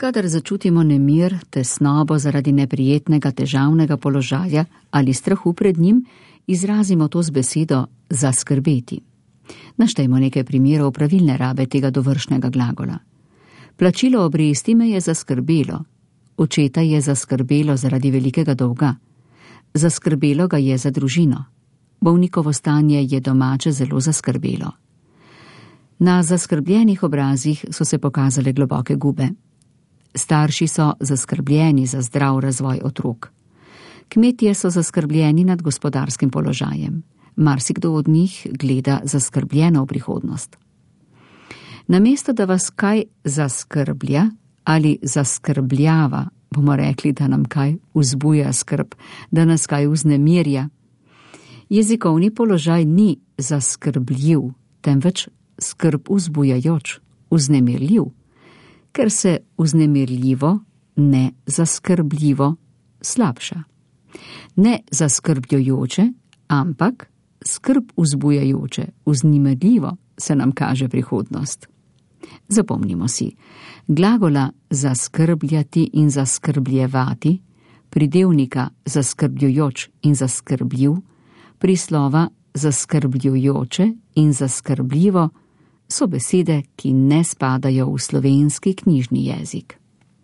Kadar začutimo nemir, tesnobo zaradi neprijetnega, težavnega položaja ali strahu pred njim, izrazimo to z besedo zaskrbeti. Naštejmo nekaj primerov pravilne rabe tega dovršnega glagola. Plačilo obresti me je zaskrbelo. Očeta je zaskrbelo zaradi velikega dolga. Zaskrbelo ga je za družino. Bolnikovo stanje je domače zelo zaskrbelo. Na zaskrbljenih obrazih so se pokazale globoke gube. Starši so zaskrbljeni za zdrav razvoj otrok. Kmetje so zaskrbljeni nad gospodarskim položajem. Marsikdo od njih gleda zaskrbljeno v prihodnost. Namesto da vas kaj zaskrblja ali zaskrbljava, bomo rekli, da nam kaj vzbuja skrb, da nas kaj vznemirja. Jezikovni položaj ni zaskrbljiv, temveč skrb vzbujajoč, vznemirljiv, ker se vznemirljivo, ne zaskrbljivo slabša. Ne zaskrbljujoče, ampak skrb vzbujajoče, vznemirljivo se nam kaže prihodnost. Zapomnimo si, glagola zaskrbljati in zaskrbljevati, pridevnika zaskrbljujoč in zaskrbljiv, prislova zaskrbljujoče in zaskrbljivo so besede, ki ne spadajo v slovenski knjižni jezik.